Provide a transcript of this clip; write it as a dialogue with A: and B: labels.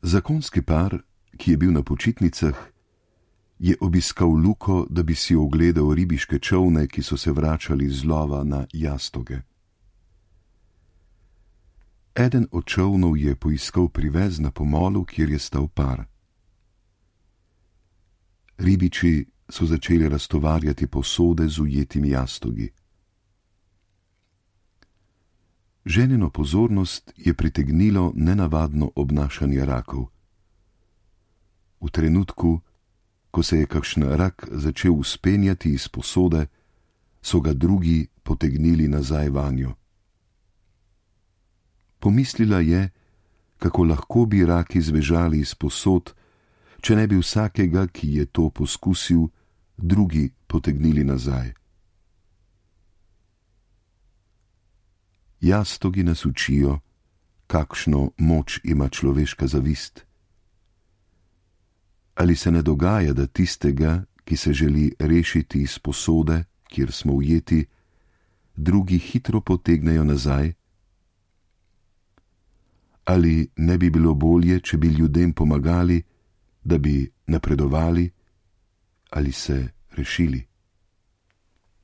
A: Zakonski par, ki je bil na počitnicah, je obiskal luko, da bi si ogledal ribiške čolne, ki so se vračali z lova na jastoge. Eden od čolnov je poiskal privez na pomolu, kjer je stal par. Ribiči so začeli raztovarjati posode z ujetimi jastogi. Ženino pozornost je pritegnilo nenavadno obnašanje rakov. V trenutku, ko se je kakšen rak začel vzpenjati iz posode, so ga drugi potegnili nazaj vanjo. Pomislila je, kako lahko bi raki zbežali iz posod, če ne bi vsakega, ki je to poskusil, drugi potegnili nazaj. Jastogi nas učijo, kakšno moč ima človeška zavist. Ali se ne dogaja, da tistega, ki se želi rešiti iz posode, kjer smo ujeti, drugi hitro potegnejo nazaj? Ali ne bi bilo bolje, če bi ljudem pomagali, da bi napredovali ali se rešili?